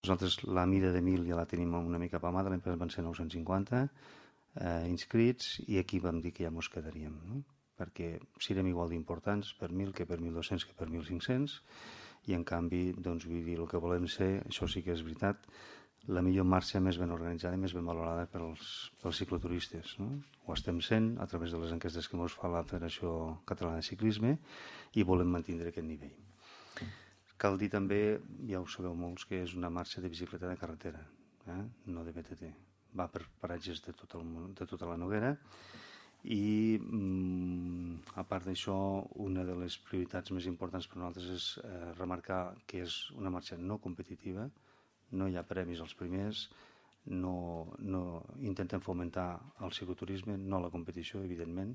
Nosaltres la mida de 1.000 ja la tenim una mica apamada, l'any passat van ser 950 inscrits i aquí vam dir que ja mos quedaríem, no? Perquè serem igual d'importants per 1.000 que per 1.200 que per 1.500 i en canvi, doncs vull dir, el que volem ser, això sí que és veritat, la millor marxa més ben organitzada i més ben valorada pels cicloturistes, no? Ho estem sent a través de les enquestes que ens fa la Federació Catalana de Ciclisme i volem mantenir aquest nivell. Cal dir també, ja ho sabeu molts, que és una marxa de bicicleta de carretera, no de BTT. Va per paratges de tota la Noguera i a part d'això, una de les prioritats més importants per nosaltres és remarcar que és una marxa no competitiva, no hi ha premis als primers, no intentem fomentar el cicloturisme, no la competició, evidentment,